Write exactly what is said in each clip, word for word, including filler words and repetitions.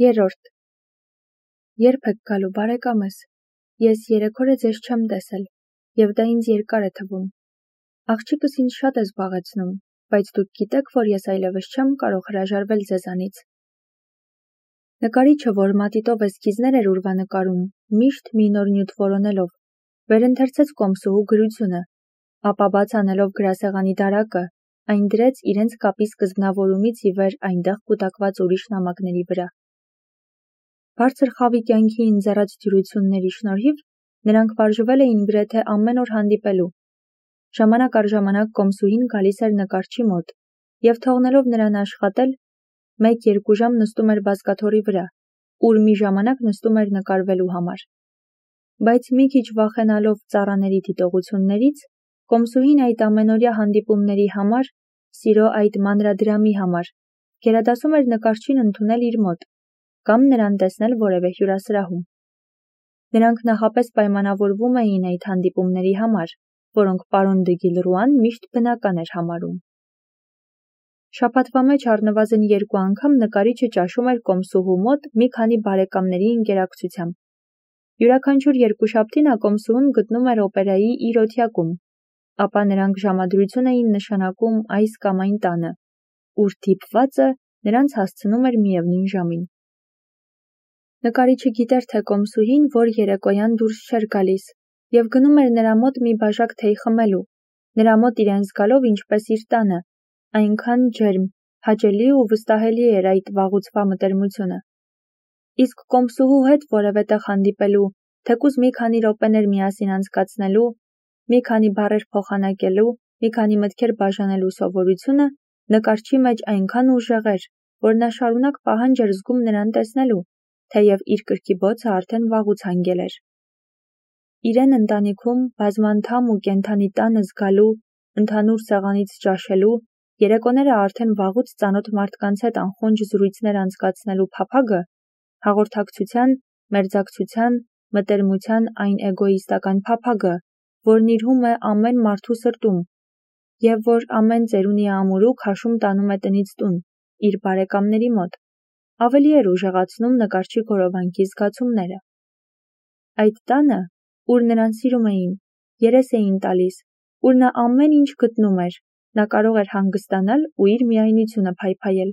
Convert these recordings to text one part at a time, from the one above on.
Երրորդ. Երբ եք գալու բարեկամս, ես երեք օր է ձեզ չեմ տեսել, և դա ինձ երկար է թվում, աղջիկս ինձ շատ է զբաղեցնում, բայց դուք գիտեք, որ ես այլևս չեմ կարող հրաժարվել ձեզանից։ Նկարիչը, որ մատիտով էսքիզներ էր ուրվանկարում, միշտ մի նոր նյութ որոնելով, վերընթերցեց կոմսուհու գրությունը, ապա բաց անելով գրասեղանի դարակը, այն դրեց իրենց կապի սկզբնավորումից ի վեր այնտեղ կուտակված ուրիշ նամակների վրա։ Բարձր խավի կյանքի ինձեռած դյուրությունների շնորհիվ նրանք վարժվել էին գրեթե ամեն օր հանդիպելու։ Ժամանակ առ ժամանակ կոմսուհին գալիս էր նկարչի մոտ և թողնելով նրան աշխատել, մեկ-երկու ժամ նստում էր բազկաթոռի վրա, ուր մի ժամանակ նստում էր նկարվելու համար։ Բայց մի քիչ վախենալով ծառաների դիտողություններից, կոմսուհին այդ ամենօրյա հանդիպումների համար, սիրո այդ մանրադրամի համար, գերադասում էր նկարչին ընդունել իր մոտ կամ նրան տեսնել որևէ հյուրասրահում։ Նրանք նախապես պայմանավորվում էին այդ հանդիպումների համար, որոնք պարոն դը Գիլռուան միշտ բնական էր համարում։ Շաբաթվա մեջ առնվազն երկու անգամ նկարիչը ճաշում էր կոմսուհու մոտ մի քանի բարեկամների ընկերակցությամբ։ Յուրաքանչյուր երկուշաբթի նա կոմսուհուն գտնում էր օպերայի իր օթյակում, ապա նրանք ժամադրություն էին նշանակում այս կամ այն տանը, ուր դիպվածը նրանց հասցնում էր միևնույն ժամին։ Նկարիչը գիտեր, թե կոմսուհին, որ երեկոյան դուրս չէր գալիս, և գնում էր նրա մոտ մի բաժակ թեյ խմելու, նրա մոտ իրեն զգալով ինչպես իր տանը, այնքան ջերմ, հաճելի ու վստահելի էր այդ վաղուցվա մտերմությունը։ Իսկ կոմսուհու հետ որևէ տեղ հանդիպելու, թեկուզ մի քանի րոպեներ միասին անցկացնելու, մի քանի բառեր փոխանակելու, մի քանի մտքեր բաժանելու սովորությունը նկարչի մեջ այնքան ուժեղ էր, որ նա շարունակ պահանջ էր զգում նրան տեսնելու, թեև իր կրքի բոցը արդեն վաղուց հանգել էր։ Իրեն ընտանիքում բազմանդամ ու կենդանի տանը զգալու, ընդհանուր սեղանից ճաշելու, երեկոները արդեն վաղուց ծանոթ մարդկանց հետ անխոնջ զրույցներ անցկացնելու փափագը հաղորդակցության, մերձակցության, մտերմության այն էգոիստական փափագը, որն իրհում է ամեն մարդու սրտում, և որ ամեն ծերունի ամուրու քաշում տանում է տնից տուն, իր բարեկամների մոտ, ավելի էր ուժեղացնում նկարչի գորովանքի զգացումները։ Այդ տանը, ուր նրան սիրում էին, երես էին տալիս, ուր նա ամեն ինչ գտնում էր, նա կարող էր հանգստանալ ու իր միայնությունը փայփայել։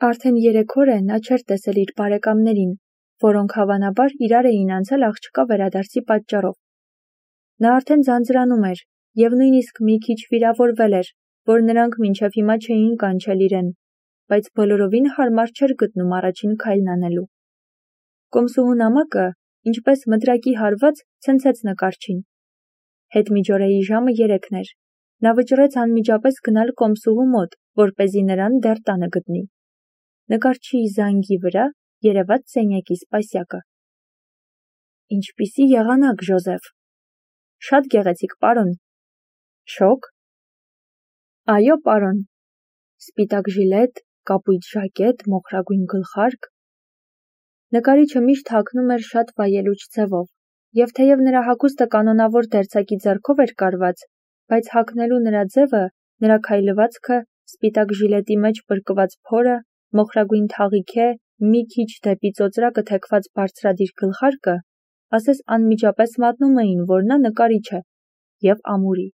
Արդեն երեք օր է նա չէր տեսել իր բարեկամներին, որոնք հավանաբար իրար էին անցել աղջկա վերադարձի պատճառով։ Նա արդեն ձանձրանում էր և նույնիսկ մի քիչ վիրավորվել էր, որ նրանք մինչև հիմա չէին կանչել իրեն, բայց բոլորովին հարմար չէր գտնում առաջին քայլն անելու։ Կոմսուհու նամակը, ինչպես մտրակի հարված, ցնցեց նկարչին։ Հետմիջօրեի ժամը երեքն էր։ Նա վճռեց անմիջապես գնալ կոմսուհու մոտ, որպեսզի նրան դեռ տանը գտնի։ Նկարչի զանգի վրա երևաց սենյակի սպասյակը։ Ինչպիսի եղանակ, Ժոզեֆ։ Շատ գեղեցիկ, պարոն։ Շոկ։ Այո, պարոն։ Սպիտակ ժիլետ, կապույտ ժակետ, մոխրագույն գլխարկ։ Նկարիչը միշտ հագնում էր շատ վայելուչ ձևով, և թեև նրա հագուստը կանոնավոր դերձակի ձեռքով էր կարված, բայց հագնելու նրա ձևը, նրա քայլվածքը, սպիտակ ժիլետի մեջ պրկված փորը, մոխրագույն թաղիքե, մի քիչ դեպի ծոծրակը թեքված բարձրադիր գլխարկը, ասես անմիջապես մատնում էին, որ նա նկարիչ է և ամուրի։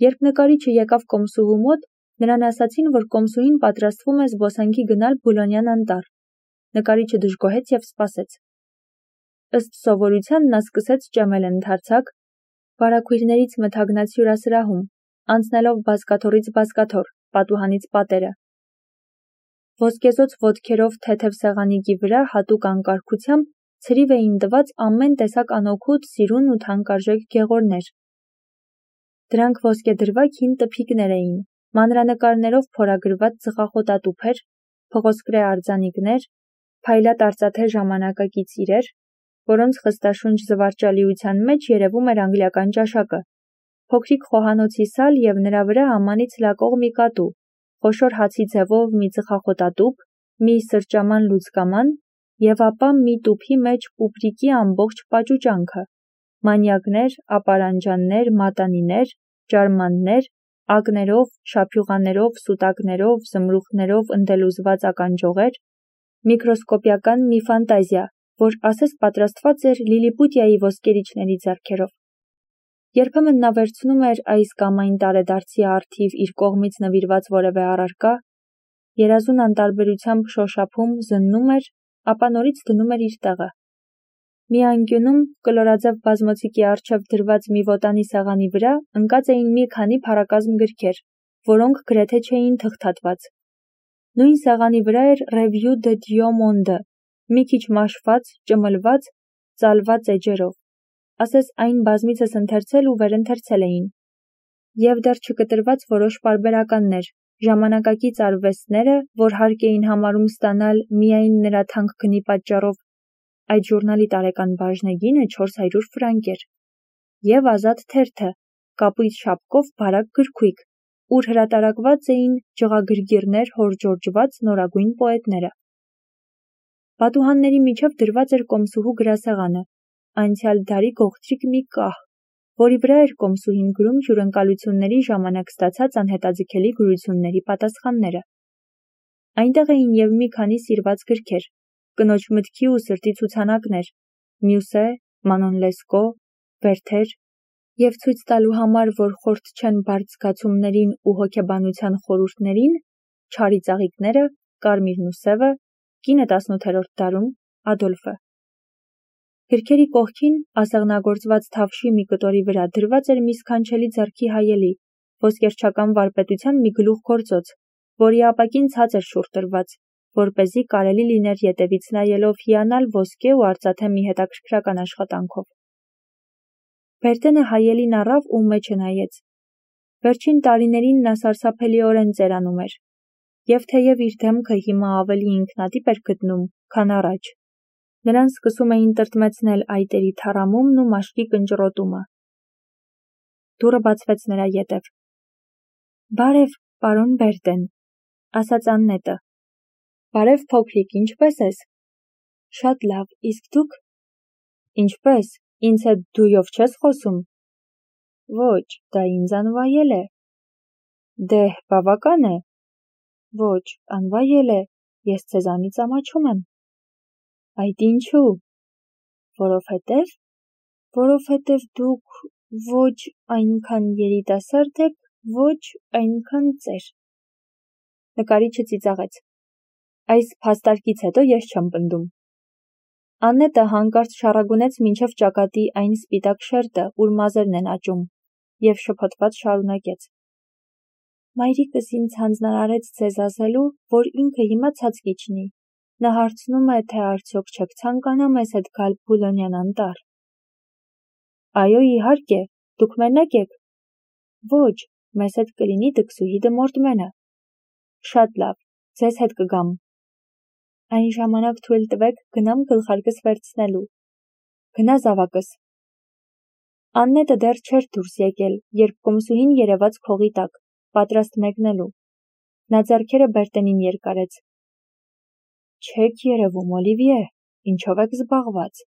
Երբ նկարիչը եկավ կոմսուհու մոտ, նրան ասացին, որ կոմսուհին պատրաստվում է զբոսանքի գնալ Բուլոնյան անտառ։ Նկարիչը դժգոհեց և սպասեց։ Ըստ սովորության նա սկսեց ճեմել ընդարձակ, վարագույրներից մթագնած հյուրասրահում, անցնելով բազկաթոռից բազկաթոռ, պատուհանից պատերը։ Ոսկեզօծ ոտքերով թեթև սեղանիկի վրա հատուկ անկարգությամբ ցրիվ էին տված ամեն տեսակ անօգուտ, սիրուն ու թանկարժեք գեղորներ։ Դրանք ոսկեդրվագ հին տփիկներ էին, մանրանկարներով փորագրված ծխախոտատուփեր, փղոսկրե արձանիկներ, փայլատ արծաթե ժամանակակից իրեր, որոնց խստաշունչ զվարճալիության մեջ երևում էր անգլիական ճաշակը, փոքրիկ խոհանոցի սալ և նրա վրա ամանից լակող մի կատու, խոշոր հացի ձևով մի ծխախոտատուփ, մի սրճաման լուծկաման և ապա մի տուփի մեջ պուպրիկի ամբողջ պաճուճանքը, մանյակներ, ապարանջաններ, մատանիներ, ջարմաններ, ակներով, շափյուղաներով, սուտակներով, զմրուխտներով ընդելուզված ականջողեր, Միկրոսկոպիական մի ֆանտազիա, որ ասես պատրաստված էր Լիլիպուտիայի ոսկերիչների ձեռքերով։ Երբեմն նա վերցնում էր այս կամ այն տարեդարձի առթիվ իր կողմից նվիրված որևէ առարկա, երազուն անտարբերությամբ շոշափում, զննում էր, ապա նորից դնում էր իր տեղը։ Մի անկյունում կլորաձև բազմոցիկի առջև դրված մի ոտանի սեղանի վրա ընկած էին մի քանի փառակազմ գրքեր, որոնք գրեթե չէին թղթատված։ Նույն սեղանի վրա էր Revue de Dieu Monde, մի քիչ մաշված, ճմլված, ծալված էջերով, ասես այն բազմիցս ընթերցել ու վերընթերցել էին։ Եվ դեռ չկտրված որոշ պարբերականներ, ժամանակակից արվեստները, որ հարկ էին համարում ստանալ միայն նրա թանկ գնի պատճառով, այդ ժուրնալի տարեկան բաժնեգինը չորս հարյուր ֆրանկ էր, և ազատ թերթը, կապույտ շապկով բարակ գրքույկ, ուր հրատարակված էին ջղագրգիռներ հորժորժված նորագույն պոետները։ Պատուհանների միջև դրված էր կոմսուհու գրասեղանը, անցյալ դարի գողտրիկ մի կահ, որի վրա էր կոմսուհին գրում հյուրընկալությունների ժամանակ ստացած անհետաձգելի գրությունների պատասխանները։ Այնտեղ էին և մի քանի սիրված գրքեր, կնոջ մտքի ու սրտի ցուցանակներ, Մյուսե, Մանոն Լեսկո, Վերթեր, և ցույց տալու համար, որ խորթ չեն բարդ զգացումներին ու հոգեբանության խորհուրդներին, Չարի ծաղիկները, Կարմիրն ու սևը, կինը տասնութերորդ դարում, Ադոլֆը։ Գրքերի կողքին, ասեղնագործված թավշի մի կտորի վրա դրված էր մի սքանչելի ձեռքի հայելի, ոսկերչական վարպետության մի գլուխգործոց, որի ապակին ցած էր շուռ տրված, որպեսզի կարելի լիներ ետևից նայելով հիանալ ոսկե ու արծաթե մի հետաքրքրական աշխատանքով։ Բերտենը հայելին առավ ու մեջը նայեց։ Վերջին տարիներին նա սարսափելիորեն ծերանում էր, և թեև իր դեմքը հիմա ավելի ինքնատիպ էր գտնում, քան առաջ, նրան սկսում էին տրտմեցնել այտերի թառամումն ու մաշկի կնճռոտումը։ Դուռը բացվեց նրա ետև։ «Բարև, պարոն Բերտեն», ասաց Աննետը։ «Բարև, փոքրիկ, ինչպե՞ս ես»։ «Շատ լավ, իսկ դուք»։ «Ինչպե՞ս, ինձ հետ դույով չես խոսում»։ «Ոչ, դա ինձ անվայել է»։ «Դե՛հ, բավական է»։ «Ոչ, անվայել է, ես ձեզանից ամաչում եմ»։ «Այդ ինչու»։ «Որովհետև»։ «Որովհետև դուք ոչ այնքան երիտասարդ եք, ոչ այնքան ծեր»։ Նկարիչը ծիծաղեց։ «Այս փաստարկից հետո ես չեմ պնդում»։ Աննետը հանկարծ շառագունեց մինչև ճակատի այն սպիտակ շերտը, ուր մազերն են աճում, և շփոթված շարունակեց. «Մայրիկս ինձ հանձնարարեց ձեզ ասելու, որ ինքը հիմա ցած կիջնի, նա հարցնում է, թե արդյոք չեք ցանկանա մեզ հետ գալ Բուլոնյան անտառ»։ «Այո, իհարկե, դուք մենակ եք»։ «Ոչ, մեզ հետ կլինի դքսուհի Դմորդմենը»։ «Շատ լավ, ձեզ հետ կգամ»։ «Այն ժամանակ թույլ տվեք գնամ գլխարկս վերցնելու»։ «Գնա զավակս»։ Աննետը դեռ չէր դուրս եկել, երբ կոմսուհին երևաց քողի տակ, պատրաստ մեկնելու։ Նա ձեռքերը Բերտենին երկարեց։ «Չեք երևում, Օլիվիե, ինչով եք զբաղված»։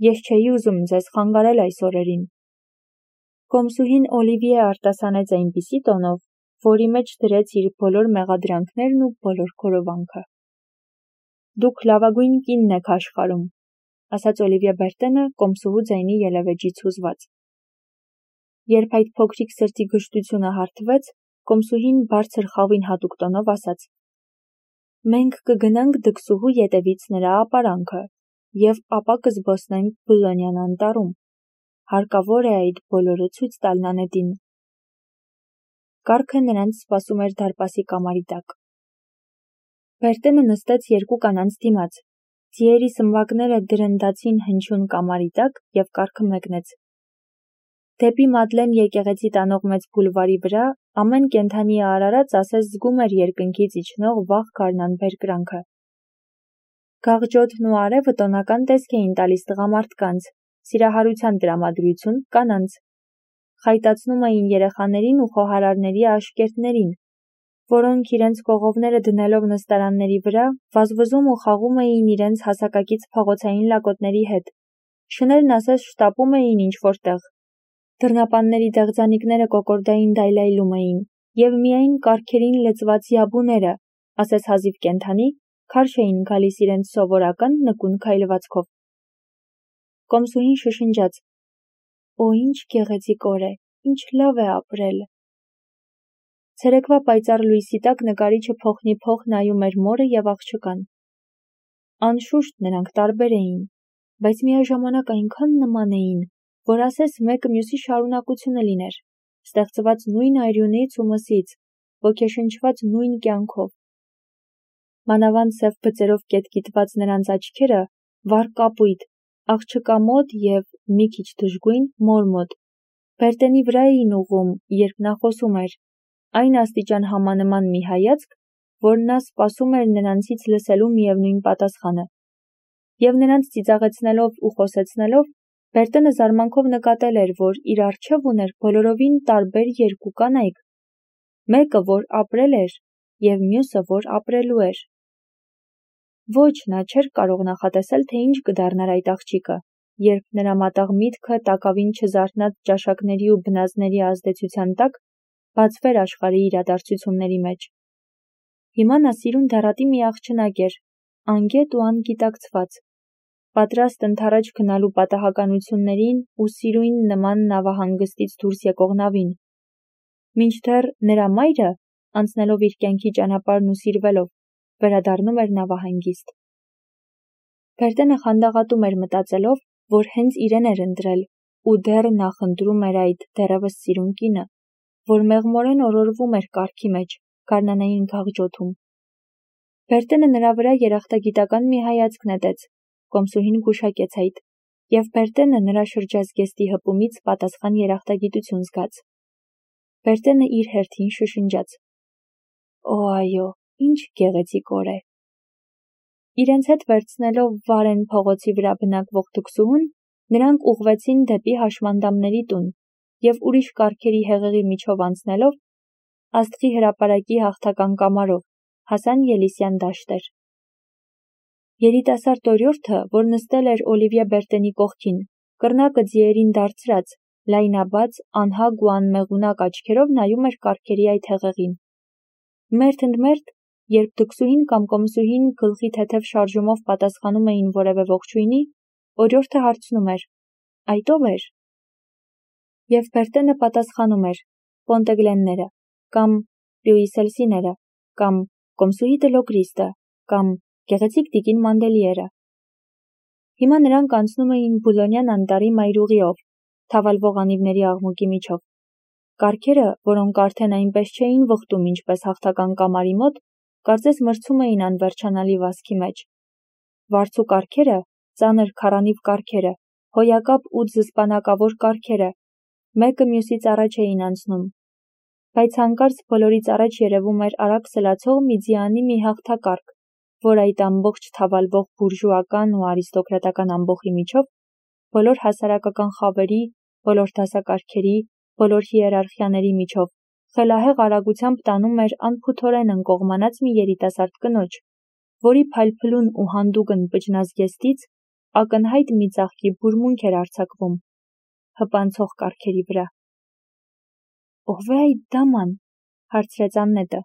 «Ես չէի ուզում ձեզ խանգարել այս օրերին»։ Կոմսուհին Օլիվիե արտասանեց այնպիսի տոնով, որի մեջ դրեց իր բոլոր մեղադրանքներն ու բոլոր գորովանքը։ «Դուք լավագույն կինն եք աշխարհում», ասաց Օլիվիե Բերտենը կոմսուհու ձայնի ելևէջից հուզված։ Երբ այդ փոքրիկ սրտի գժտությունը հարթվեց, կոմսուհին բարձր խավին հատուկ տոնով ասաց. «Մենք կգնանք դքսուհու ետևից նրա ապարանքը, և ապա կզբոսնենք Բուլոնյան անտառում։ Հարկավոր է այդ բոլորը ցույց տալ Նանետին»։ Կառքը նրանց սպասում էր դարպասի կամարի տակ։ Բերտենը նստեց երկու կանանց դիմաց, ձիերի սմբակները դրնդացին հնչյուն կամարի տակ և կառքը մեկնեց։ Դեպի Մադլեն եկեղեցի տանող մեծ բուլվարի վրա ամեն կենդանի արարած ասես զգում էր երկնքից իջնող վաղ գարնան բերկրանքը։ Գաղջոթն ու արևը տոնական տեսք էին տալիս տղամարդկանց, սիրահարության տրամադրություն՝ կանանց։ Խայտացնում էին երեխաներին ու խոհարարների աշկերտներին, որոնք իրենց կողովները դնելով նստարանների վրա, վազվզում ու խաղում էին իրենց հասակակից փողոցային լակոտների հետ, շներն ասես շտապում էին ինչ-որ տեղ։ Դռնապանների դեղձանիկները կոկորդային դայլայլում էին, և միայն կառքերին լծված յաբուները, ասես հազիվ կենդանի, քարշ էին գալիս իրենց սովորական նկուն քայլվածքով։ Կոմսուհին շշնջաց. «Օ, ինչ գեղեցիկ օր է, ինչ լավ է ապրել»։ Ցերեկվա պայծառ լույսի տակ նկարիչը փոխնիփոխ նայում էր մորը և աղջկան։ Անշուշտ նրանք տարբեր էին, բայց միաժամանակ այնքան նման էին, որ ասես մեկը մյուսի շարունակությունը լիներ, ստեղծված նույն արյունից ու մսից, ոգեշնչված նույն կյանքով։ Մանավանդ սև բծերով կետկիտված նրանց աչքերը վառ կապույտ, աղջկա մոտ և մի քիչ դժգույն մոր մոտ, Բերտենի վրա էին ուղղում, երբ նա խոսում էր, այն աստիճան համանման մի հայացք, որ նա սպասում էր նրանցից լսելու միևնույն պատասխանը։ Եվ նրանց ծիծաղեցնելով ու խոսեցնելով, Բերտենը զարմանքով նկատել էր, որ իր առջև ուներ բոլորովին տարբեր երկու կանայք, մեկը, որ ապրել էր, և մյուսը, որ ապրելու էր։ Ոչ, նա չէր կարող նախատեսել, թե ինչ կդառնար այդ աղջիկը, երբ նրա մատաղ միտքը տակավին չզարթնած ճաշակների ու բնազդների ազդեցության տակ բացվեր աշխարհի իրադարձությունների մեջ։ Հիմա նա սիրուն դառատի մի աղջնակ էր, անգետ ու անգիտակցված, պատրաստ ընդառաջ գնալու պատահականություններին ու սիրույն նման նավահանգստից դուրս եկող նավին։ Մինչդեռ նրա մայրը, անցնելով իր կյանքի ճանապարհն ու սիրվելով, վերադառնում էր նավահանգիստ։ Բերտենը խանդաղատում էր մտածելով, որ հենց իրեն էր ընտրել, ու դեռ նախընտրում էր այդ դեռևս սիրուն կինը, որ մեղմորեն օրորվում էր կառքի մեջ, գարնանային գաղջոթում։ Բերտենը նրա վրա երախտագիտական մի հայացք նետեց, Կոմսուհին գուշակեց այդ, և Բերտենը նրա շրջազգեստի հպումից պատասխան երախտագիտություն զգաց։ Բերտենը իր հերթին շշնջաց. «Օ, այո, ինչ գեղեցիկ օր է»։ Իրենց հետ վերցնելով Վարեն փողոցի վրա բնակվող թքսուհուն, նրանք ուղղվեցին դեպի հաշմանդամների տուն և ուրիշ կառքերի հեղեղի միջով անցնելով, Աստղի հրապարակի հաղթական կամարով, հասան Ելիսյան դաշտեր։ Երիտասարդ օրիորդը, որ նստել էր Օլիվիե Բերտենի կողքին, կռնակը ձիերին դարձրած, լայնաբաց, անհագ ու անմեղունակ աչքերով նայում էր կառքերի այդ հեղեղին։ Մերթ ընդ մերթ, երբ թքսուհին կամ կոմսուհին գլխի թեթև շարժումով պատասխանում էին որևէ ողջույնի, օրիորդը հարցնում էր. «Այդ ո՞վ էր»։ Եվ Բերտենը պատասխանում էր. «Պոնտեգլենները» կամ «Պյուիսելսիները» կամ «Կոմսուհի դե Լոգրիստը» կամ «Գեղեցիկ տիկին Մանդելիերը»։ Հիմա նրանք անցնում էին Բուլոնյան անտառի մայրուղիով, թավալվող անիվների աղմուկի միջով։ Կառքերը, որոնք արդեն այնպես չէին վխտում, ինչպես հաղթական կամարի մոտ, կարծես մրցում էին անվերջանալի վազքի մեջ։ Վարձու կառքերը, ծանր քառանիվ կառքերը, հոյակապ ու ձսպանակավոր կառքերը, մեկը մյուսից առաջ էին անցնում։ Բայց հանկարծ բոլորից առաջ երևում էր արագ սլացող մի ձիանի մի հաղթակառք, որ այդ ամբողջ թավալվող բուրժուական ու արիստոկրատական ամբոխի միջով, բոլոր հասարակական խավերի, բոլոր դասակարգերի, բոլոր հիերարխիաների միջով, խելահեղ արագությամբ տանում էր անփութորեն ընկողմանած մի երիտասարդ կնոջ, որի փայլփլուն ու հանդուգն պճնազգեստից ակնհայտ մի ծաղկի բուրմունք էր արձակվում հպանցող կառքերի վրա։ «Ո՞վ է այդ դաման»։ հարցրեց Աննետը։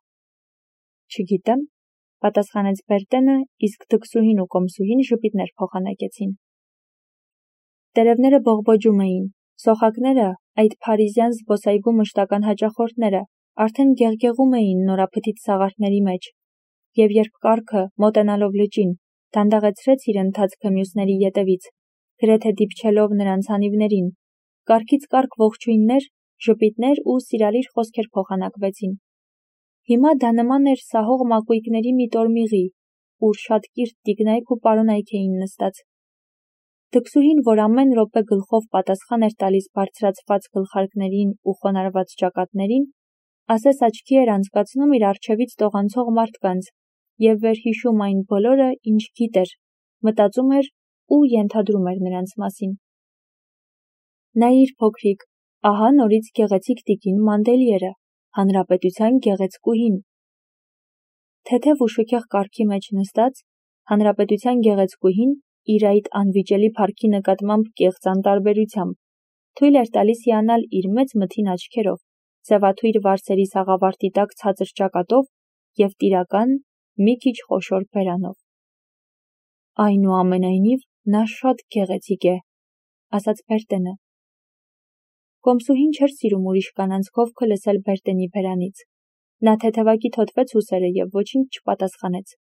«Չգիտեմ», պատասխանեց Բերտենը, իսկ թքսուհին ու կոմսուհին ժպիտներ փոխանակեցին։ Տերևները բողբոջում էին, սոխակները, այդ փարիզյան զբոսայգու մշտական հաճախորդները, արդեն գեղգեղում էին նորափթիթ սաղարթների մեջ, և երբ կառքը, մոտենալով լճին, դանդաղեցրեց իր ընթացքը մյուսների ետևից, գրեթե դիպչելով նրանց անիվներին, կառքից կառք ողջույններ, ժպիտներ ու սիրալիր խոսքեր փոխանակվեցին։ Հիմա դա նման էր սահող մակույկների մի տորմիղի, ուր շատ կիրթ տիկնայք ու պարոնայք էին նստած։ Թքսուհին, որ ամեն րոպե գլխով պատասխան էր տալիս բարձրացված գլխարկներին ու խոնարհված ճակատներին, ասես աչքի էր անցկացնում իր առջևից տողանցող մարդկանց և վերհիշում այն բոլորը, ինչ գիտեր, մտածում էր ու ենթադրում էր նրանց մասին։ Նայիր, փոքրիկ, ահա նորից գեղեցիկ տիկին Մանդելիերը, հանրապետության գեղեցկուհին։ Թեթև ու շքեղ կառքի մեջ նստած, հանրապետության գեղեցկուհին իր այդ անվիճելի փառքի նկատմամբ կեղծ անտարբերությամբ թույլ էր տալիս հիանալ իր մեծ մթին աչքերով, սևաթույր վարսերի սաղավարտի տակ ցածր ճակատով և տիրական, մի քիչ խոշոր բերանով։ Այնուամենայնիվ, նա շատ գեղեցիկ է, ասաց Բերտենը։ Կոմսուհին չէր սիրում ուրիշ կանանց քովքը լսել Բերտենի բերանից։ Նա թեթևակի թոթվեց ուսերը և ոչինչ չպատասխանեց։